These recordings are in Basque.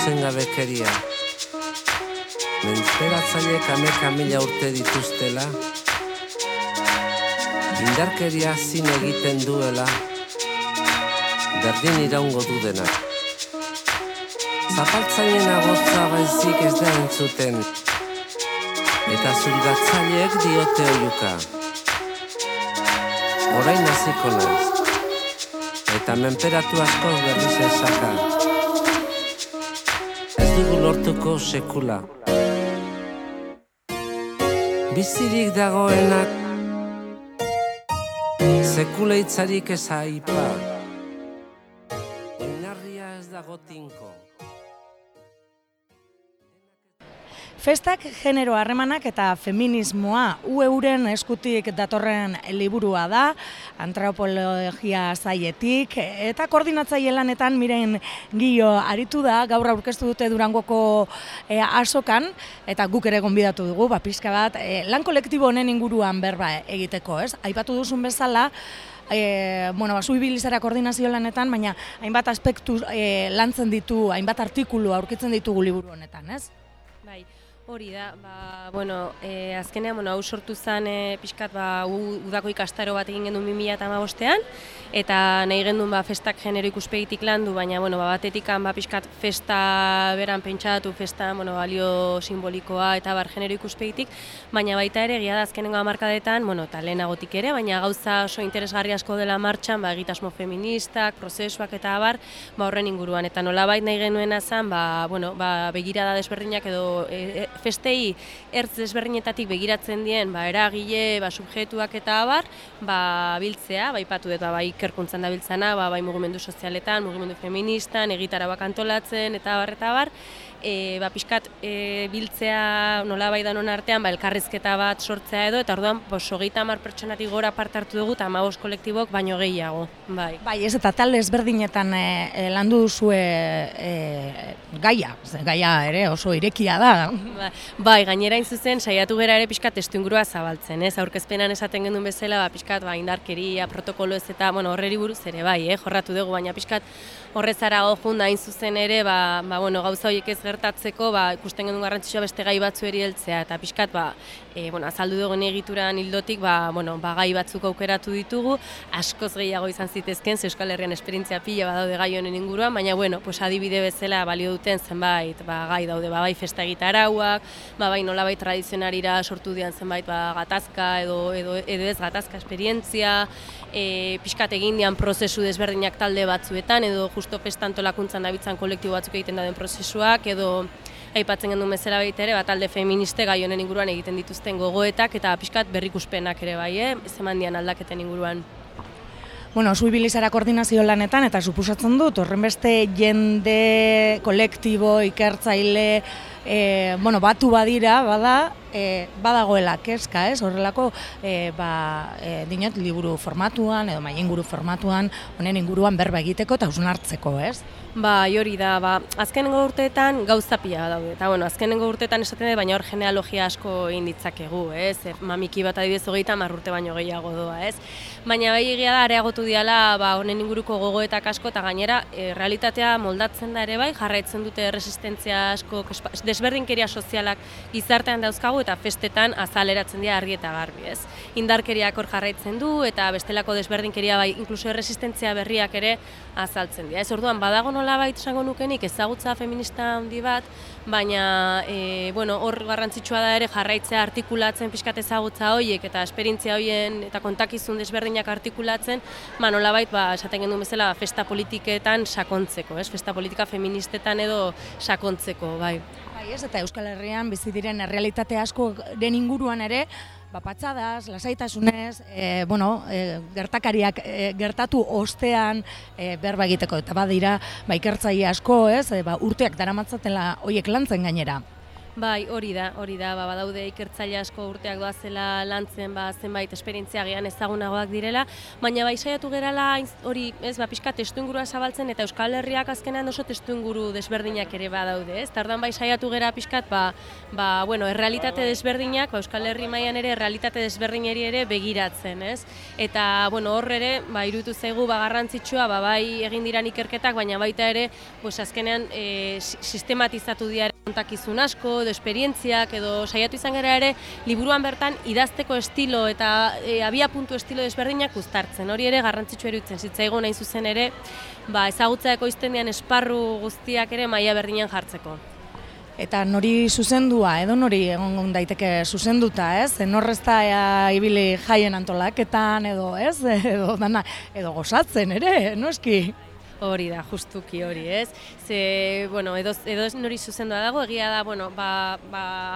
zuzengabekeria. Menperatzaileek 1000 urte dituztela, indarkeria zin egiten duela, berdin iraungo du denak. Zapaltzaileen agotza baizik ez da entzuten, eta zurgatzaileek diote oiuka. Orain hasiko naiz, eta menperatu askoz berriz esaka. Ez dugu lortuko sekula. Bizirik dagoenak sekula hitzarik ez aipa. Oinarria ez dago tinko. Festak genero harremanak eta feminismoa euren eskutik datorren liburua da, antropologia sailetik eta koordinatzaile lanetan Miren Gio aritu da, gaur aurkeztu dute Durangoko azokan eta guk ere gonbidatu dugu, pixka bat lan kolektibo honen inguruan berba egiteko, ez? Aipatu duzun bezala, zu ibili zara koordinazio lanetan, baina hainbat aspektu lantzen ditu, hainbat artikulu aurkitzen ditugu liburu honetan, ez? Bai. Hori da, azkenean hau sortu zen pixkat udako ikastaro bat egin gendun 2015ean, eta nahi gendun festak genero ikuspegitik landu, baina batetik pixkat festa beran pentsatu, festa balio simbolikoa eta genero ikuspegitik, baina baita ere egia da azkenengo hamarkadetan, eta lehenagotik ere, baina gauza oso interesgarri asko dela martxan, egitasmo feministak, prozesuak eta horren inguruan, eta nolabait nahi genuena zen, begirada desberdinak edo festei ertz desberdinetatik begiratzen dien eragile, subjektuak eta biltzea, aipatu dut ikerkuntzan da biltzana, mugimendu sozialetan, mugimendu feministan, egitarauak antolatzen eta abar, pixkat biltzea nolabait danon artean elkarrizketa bat sortzea edo, eta orduan 30 pertsonatik gora parte hartu dugu eta 15 kolektibok baino gehiago. Bai, ez eta talde ezberdinetan landu duzue gaia ere oso irekia da. Bai, gainera zuzen saiatu gera ere pixkat testuingurua zabaltzen, ez? Aurkezpenan esaten gendun bezala, pixkat indarkeria, protokolo ez eta horreri buruz ere jorratu dugu, baina pixkat horrezara junda hain zuzen ere, gauza horiek ez gertatzeko, ikusten gendun garrantzitsua beste gai batzueri heltzea, eta pixkat, azaldu dugun egituran hildotik, gai batzuk aukeratu ditugu, askoz gehiago izan zitezken, Euskal Herrian esperientzia pila badaude gai honen inguruan, baina, adibide bezala balio duten zenbait, gai daude, bai festa egitarauak, bai nolabait tradizionarira sortu dian zenbait, gatazka edo ez gatazka esperientzia, pixkat egin dian prozesu desberdinak talde batzuetan, edo justo festa antolakuntzan dabitzan kolektibo batzuk egiten dauden prozesuak, edo aipatzen gendun bezala baita ere, talde feministe gai honen inguruan egiten dituzten gogoetak eta pixkat berrikuspenak ere zeman dian aldaketen inguruan. Zu ibili zara koordinazio lanetan eta suposatzen dut, horrenbeste jende, kolektibo, ikertzaile, batu badira, badagoela kezka, ez? Horrelako, dinot, liburu formatuan, edo mailinguru formatuan, honen inguruan berba egiteko eta hausnartzeko, ez? Hori da, azkenengo urteetan gauza pila daude, eta azkenengo urteetan esaten dut, baina hor genealogia asko egin ditzakegu, ez? Mamiki bat adibidez 30 urte baino gehiago doa, ez? Baina egia da, areagotu diala honen inguruko gogoetak asko, eta gainera, realitatea moldatzen da ere jarraitzen dute resistentzia asko, desberdinkeria sozialak gizartean dauzkagu, eta festetan azaleratzen dira argi eta garbi, ez? Indarkeriak hor jarraitzen du, eta bestelako desberdinkeria inkluso resistentzia berriak ere azaltzen dira. Ez orduan, badago nolabait esango nukenik ezagutza feminista handi bat, baina hor garrantzitsua da ere jarraitzea artikulatzen pixkat ezagutza horiek eta esperientzia horien eta kontakizun desberdinak artikulatzen, nolabait esaten gendun bezala festa politiketan sakontzeko, ez? Festa politika feministetan edo sakontzeko, bai. Ez, eta Euskal Herrian bizi diren errealitate asko den inguruan ere, patxadaz, lasaitasunez, gertakariak gertatu ostean berba egiteko, eta badira ikertzaile asko, ez, urteak daramatzatela horiek lantzen gainera. Bai, hori da, badaude ikertzaile asko urteak doazela lantzen, zenbait esperientzia agian ezagunagoak direla, baina bai saiatu gerala hori, pixka testuingurua zabaltzen eta Euskal Herriak azkenean oso testuinguru desberdinak ere badaude, ez? Tardan bai saiatu gera pixkat, errealitate desberdinak, Euskal Herri mailan ere errealitate desberdineri ere begiratzen, ez? Eta, hor ere, iruditu zaigu garrantzitsua, bai egin diran ikerketak, baina baita ere, azkenean sistematizatu dira kontakizun asko, edo esperientziak, edo saiatu izan gara ere, liburuan bertan idazteko estilo eta abia-puntu estilo desberdinak uztartzen. Hori ere garrantzitsua iruditzen zitzaigun hain zuzen ere, ezagutza ekoizten dian esparru guztiak ere maila berdinean jartzeko. Eta nori zuzendua, edo nori egon daiteke zuzenduta, ez? Norrez da ibili jaien antolaketan, edo ez? Edo gozatzen ere, noski? Hori da, justuki hori, ez? Ze, edo nori zuzendua dago, egia da,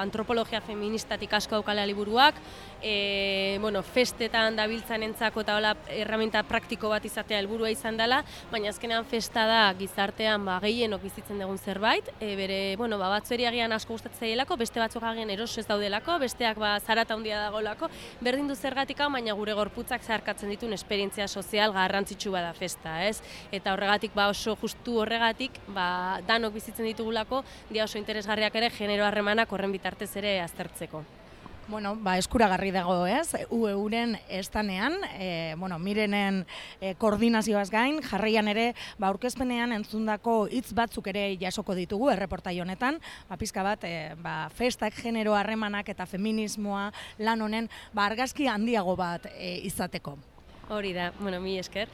antropologia feministatik asko daukala liburuak, festetan dabiltzanentzako eta hola erraminta praktiko bat izatea helburua izan dela, baina azkenean festa da gizartean gehienok bizitzen dugun zerbait, batzueri agian asko gustatzen zaielako, beste batzuk agian eroso ez daudelako, besteak zarata handia dagoelako, berdin du zergatik, baina gure gorputzak zeharkatzen dituen esperientzia sozial garrantzitsu bada festa, ez? Eta horregatik, oso justu horregatik, danok bizitzen ditugulako, dia oso interesgarriak ere genero harremanak horren bitartez ere aztertzeko. Eskuragarri dago, ez? UEUren estanean, Mirenen koordinazioaz gain, jarraian ere, aurkezpenean entzundako hitz batzuk ere jasoko ditugu, erreportai honetan, pizka bat, festak, genero harremanak eta feminismoa lan honen, argazki handiago bat izateko. Hori da, mi esker.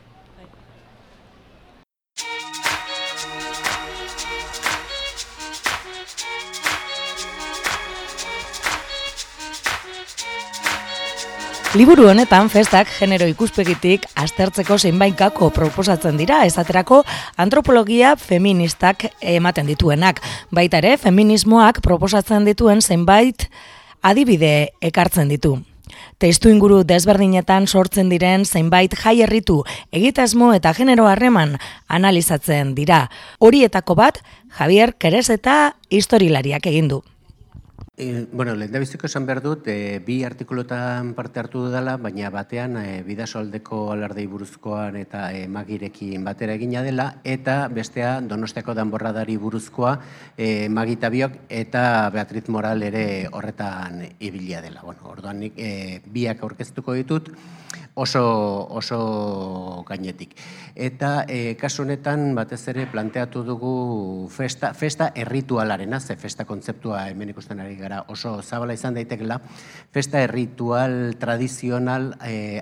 Liburu honetan festak genero ikuspegitik aztertzeko zeinbaitkako proposatzen dira, esaterako antropologia feministak ematen dituenak. Baita ere, feminismoak proposatzen dituen zenbait adibide ekartzen ditu. Testuinguru desberdinetan sortzen diren zenbait jai herritu, egitasmo eta genero harreman analizatzen dira. Horietako bat, Javier Kereseta historialariak egin du. Lehendabiziko esan behar dut, bi artikuluetan parte hartu dudala, baina batean Bidasoaldeko alardei buruzkoan eta Magirekin batera egina dela, eta bestea Donostiako danborradari buruzkoa Magita Biok eta Beatriz Moral ere horretan ibilia dela. Orduan nik biak aurkeztuko ditut oso gainetik. Eta kasu honetan batez ere planteatu dugu festa erritualarena, ze festa kontzeptua hemen ikusten ari gara oso zabala izan daitekela, festa erritual tradizional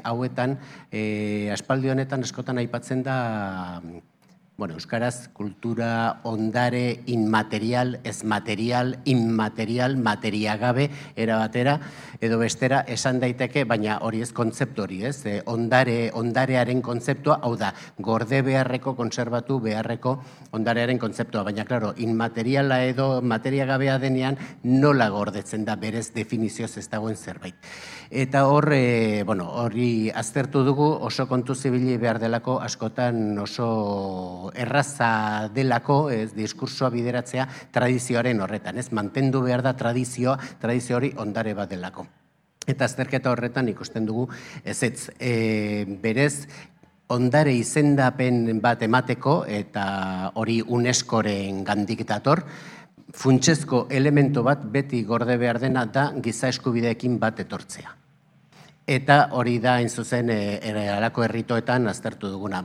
hauetan, aspaldi honetan askotan aipatzen da, euskaraz kultura ondare inmaterial, ez material, inmaterial, materiagabe, erabatera, edo bestera esan daiteke, baina hori ez kontzeptu hori, ez? Ondarearen kontzeptua, hau da, gorde beharreko, konserbatu beharreko ondarearen kontzeptua, baina, klaro, inmateriala edo materiagabea denean nola gordetzen da berez definizioz ez dagoen zerbait. Eta hori aztertu dugu oso kontu zibili behar delako askotan oso erraza delako, diskursoa bideratzea tradizioaren horretan, ez? Mantendu behar da tradizio hori ondare bat delako. Eta azterketa horretan ikusten dugu ezetz, berez ondare izendapen bat emateko, eta hori UNESCOren gandik dator, funtsezko elemento bat beti gorde behar dena da giza eskubideekin bat etortzea. Eta hori da, hain zuzen, halako herritoetan aztertu duguna.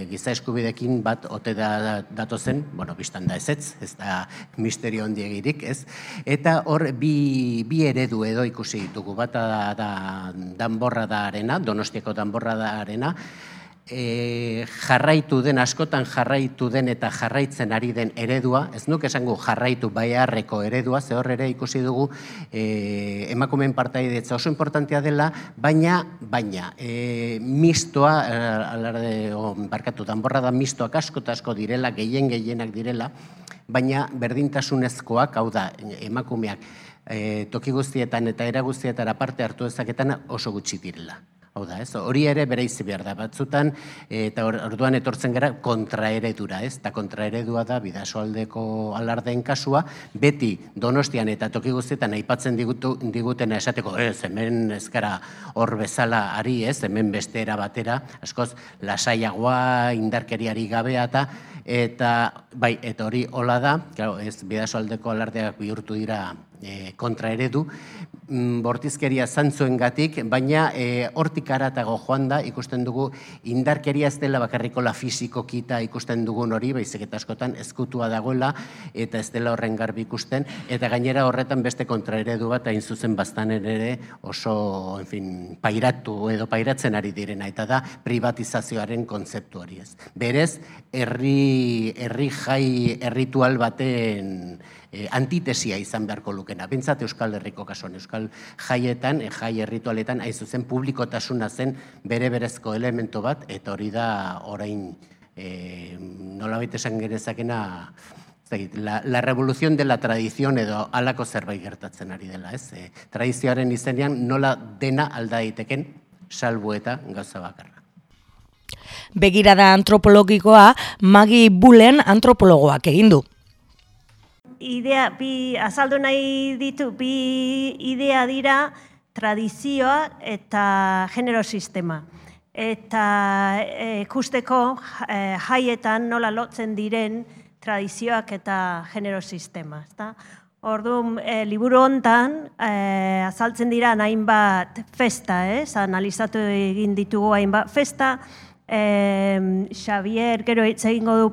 Giza eskubideekin bat ote datozen, bistan da ezetz, ez da misterio handiegirik, ez? Eta hor bi eredu edo ikusi ditugu, bata da danborradarena, Donostiako danborradarena, jarraitu den, askotan jarraitu den eta jarraitzen ari den eredua, ez nuke esango jarraitu beharreko eredua, ze hor ere ikusi dugu emakumeen partaidetza oso importantea dela, baina mistoa, danborra da mistoak asko direla, gehienak direla, baina berdintasunezkoak, hau da, emakumeak toki guztietan eta era guztietara parte hartu dezaketan oso gutxi direla. Hau da, ez? Hori ere bereizi behar da batzutan, eta orduan etortzen gara kontraeredura, ez? Eta kontraeredua da Bidasoaldeko alardeen kasua, beti Donostian eta toki guztietan aipatzen digutena esateko, ez, hemen ez gara hor bezala ari, ez? Hemen beste era batera, askoz lasaiagoa, indarkeriari gabea eta bai, eta hori hola da, claro, ez Bidasoaldeko alardeak bihurtu dira kontraeredu, bortizkeria zantzuengatik, baina hortik haratago joan da, ikusten dugu indarkeria ez dela bakarrikola fisikoki eta ikusten dugun hori, baizik eta askotan ezkutua dagoela, eta ez dela horren garbi ikusten, eta gainera horretan beste kontraeredu bat hain zuzen baztanen ere oso, pairatu edo pairatzen ari direna, eta da privatizazioaren kontzeptu hori ez. Berez, herri jai erritual baten antitesia izan beharko lukena. Bintzat Euskal Herriko kasuan, Euskal jaietan, jai erritualetan, hain zuzen publikotasuna zen bere berezko elemento bat, eta hori da orain nolabait esan genezakena la revolución de la tradición edo halako zerbait gertatzen ari dela, ez? Tradizioaren izenean nola dena alda daiteken, salbu eta gauza bakarra. Begirada antropologikoa Magi Bullen antropologoak egin du. Idea, azaldu nahi ditu, bi idea dira tradizioa eta genero sistema. Eta ikusteko jaietan nola lotzen diren tradizioak eta genero sistema. Orduan, liburu hontan azaltzen dira hainbat festa, analizatu egin ditugu hainbat festa. Xavier gero hitz egingo du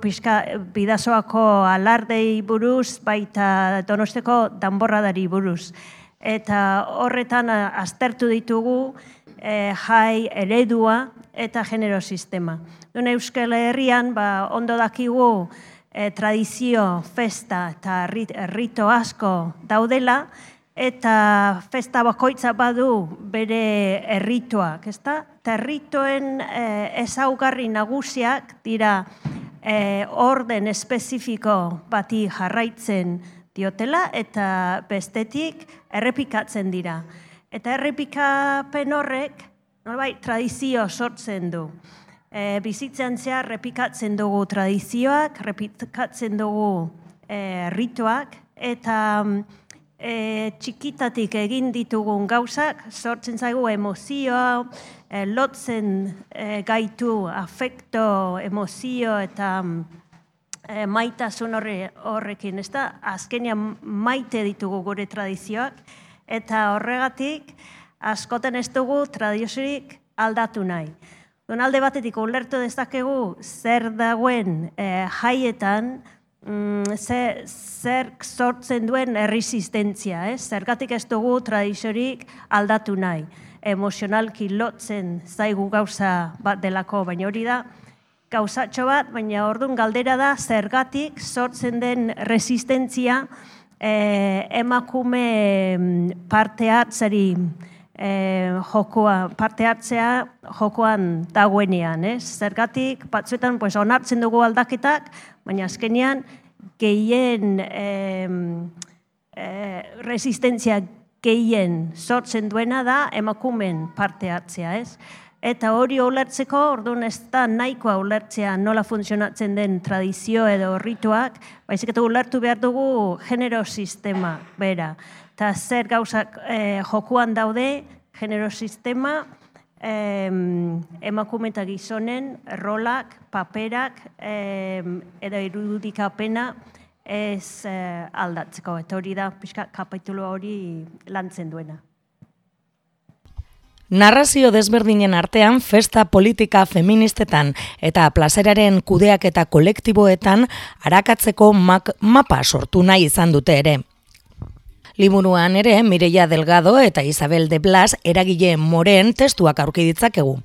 Bidasoako alardei buruz, baita Donosteko danborradari buruz. Eta horretan aztertu ditugu jai eredua eta genero sistema. Euskal Herrian ondo dakigu tradizio, festa eta rito asko daudela, eta festa bakoitza badu bere errituak, ezta? Eta errituen ezaugarri nagusiak dira orden espezifiko bati jarraitzen diotela eta bestetik errepikatzen dira. Eta errepikapen horrek nolabait tradizio sortzen du. Bizitzan zehar errepikatzen dugu tradizioak, errepikatzen dugu errituak, eta txikitatik egin ditugun gauzak, sortzen zaigu emozioa, lotzen gaitu afekto, emozio eta maitasun horrekin, ez da? Azkenean maite ditugu gure tradizioak, eta horregatik askoten ez dugu tradiziorik aldatu nahi. Alde batetik ulertu dezakegu zer dagoen jaietan, zer sortzen duen erresistentzia, zergatik ez dugu tradiziorik aldatu nahi. Emozionalki lotzen zaigu gauza bat delako, baina hori da gauzatxo bat, baina orduan galdera da zergatik sortzen den resistentzia emakume parte hartzeri parte hartzea jokoan dagoenean, zergatik batzuetan onartzen dugu aldaketak, baina azkenean gehien resistentzia gehien sortzen duena da emakumen parte hartzea, Eta hori ulertzeko, orduan ez da nahikoa ulertzea nola funtzionatzen den tradizio edo rituak, baizik eta ulertu behar dugu genero sistema bera. Eta zer gauzak jokuan daude, genero sistema, emakume eta gizonen rolak, paperak edo irudikapena ez aldatzeko. Eta hori da pixka kapitulu hori lantzen duena. Narrazio desberdinen artean festa politika feministetan eta plazeraren kudeaketa kolektiboetan arakatzeko mapa sortu nahi izan dute ere. Liburuan ere Mireia Delgado eta Isabel de Blas eragile moren testuak aurki ditzakegu.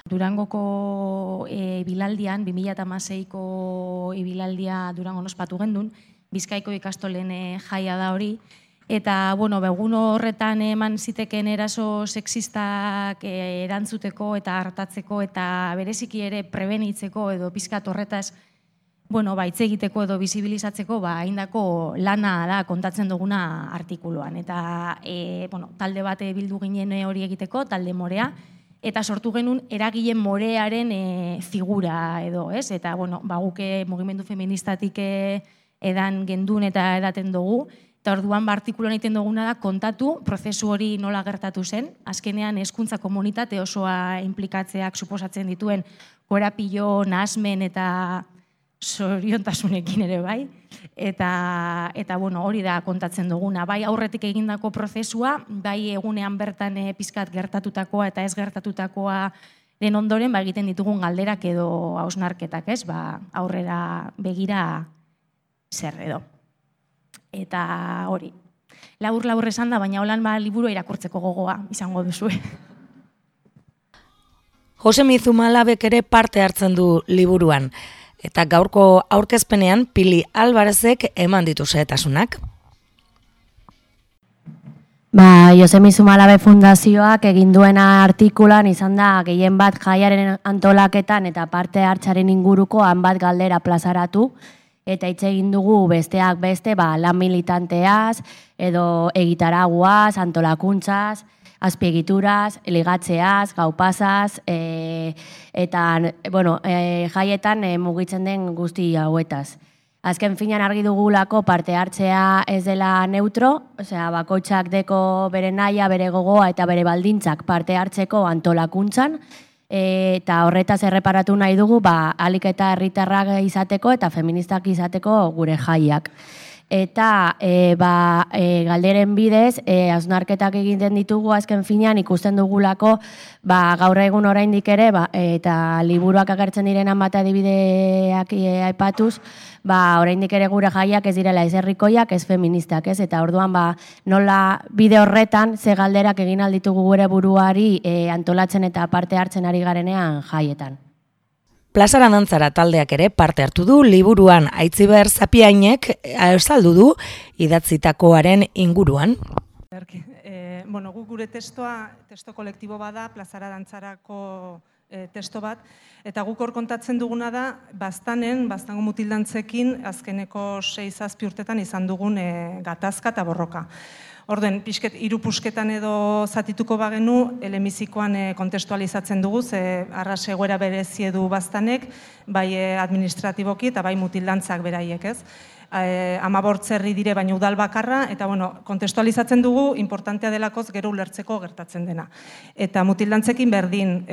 Durangoko ibilaldian, 2016ko ibilaldia Durangon ospatu gendun, Bizkaiko ikastolen jaia da hori, eta, egun horretan eman ziteken eraso sexistak erantzuteko eta hartatzeko eta bereziki ere prebenitzeko edo pizkat horretaz hitz egiteko edo bizibilizatzeko haindako lana da kontatzen duguna artikuluan. Eta talde bate bildu ginen hori egiteko, talde morea, eta sortu genuen eragile morearen figura edo, ez? Eta, bueno, guke mugimendu feministatik edan gendun eta edaten dugu, eta orduan artikuloan egiten duguna da kontatu prozesu hori nola gertatu zen, azkenean hezkuntza komunitate osoa inplikatzeak suposatzen dituen korapilo, nahasmen eta zoriontasunekin ere bai, eta bueno, hori da kontatzen duguna, bai aurretik egindako prozesua, bai egunean bertan pizkat gertatutakoa eta ez gertatutakoa den ondoren egiten ditugun galderak edo hausnarketak, ez? Aurrera begira zer edo. Eta hori, labur esan da, baina holan liburu irakurtzeko gogoa izango duzu. Josemi Zumalabek ere parte hartzen du liburuan, eta gaurko aurkezpenean Pili Alvarezek eman ditu xehetasunak. Josemi Zumalabe Fundazioak egin duena artikulan izan da gehien bat jaiaren antolaketan eta parte hartzaren inguruko hanbat galdera plazaratu, eta hitz egin dugu besteak beste lan militanteaz, edo egitaraguaz, antolakuntzaz, azpiegituraz, ligatzeaz, gaupasaz, eta jaietan mugitzen den guzti hauetaz. Azken finean argi dugulako parte hartzea ez dela neutro, bakoitzak deko bere nahia, bere gogoa eta bere baldintzak parte hartzeko antolakuntzan, eta horretaz erreparatu nahi dugu ahalik eta herritarrak izateko eta feministak izateko gure jaiak. Eta galderen bidez, hausnarketak egiten ditugu azken finean ikusten dugulako gaur egun oraindik ere, eta liburuak agertzen direnan bat adibideak aipatuz, oraindik ere gure jaiak ez direla ez herrikoiak, ez feministak, ez? Eta orduan nola bide horretan ze galderak egin alditugu gure buruari antolatzen eta parte hartzen ari garenean jaietan. Plazara dantzara taldeak ere parte hartu du liburuan Aitziber Zapiainek azaldu du idatzitakoaren inguruan. Guk gure testo kolektibo bada, plazara dantzarako testo bat, eta guk hor kontatzen duguna da, baztango mutildantzekin azkeneko 6-7 urtetan izan dugun gatazka eta borroka. Orden, pixket, irupusketan edo zatituko bagenu, elemizikoan kontestualizatzen dugu, ze arras egoera berezi edu baztanek, bai administratiboki eta bai mutildantzak beraiek, ez? 15 herri dire baina udal bakarra, eta kontestualizatzen dugu, importantea delakoz gero ulertzeko gertatzen dena. Eta mutildantzekin berdin,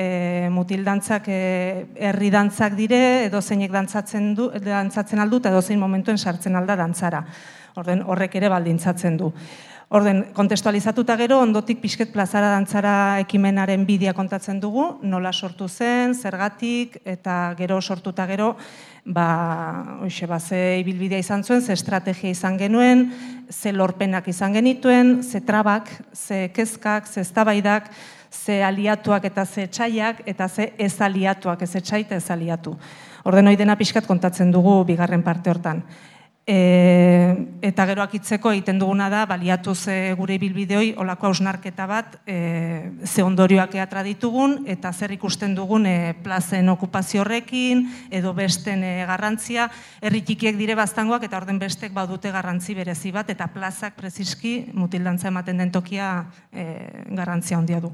mutildantzak herri dantzak dire, edo zeinek dantzatzen aldu, eta edo zein momentuen sartzen alda dantzara. Orden, horrek ere baldintzatzen du. Orden, kontestualizatuta gero, ondotik pixket plazara dantzara ekimenaren bidea kontatzen dugu, nola sortu zen, zergatik, eta gero sortuta gero, ze ibilbidea izan zuen, ze estrategia izan genuen, ze lorpenak izan genituen, ze trabak, ze kezkak, ze eztabaidak, ze aliatuak eta ze etxaiak, eta ze ez aliatuak, ez etxai eta ez aliatu. Orden, hori dena pixkat kontatzen dugu bigarren parte hortan. Eta gero akitzeko egiten duguna da, baliatuz gure ibilbideoi olako hausnarketa bat ze ondorioak eatra ditugun eta zer ikusten dugun plazen okupazio horrekin edo besten garrantzia, herri txikiek dire baztangoak eta orden bestek badute garrantzi berezi bat eta plazak preziski mutildantza ematen den tokia garrantzia handia du.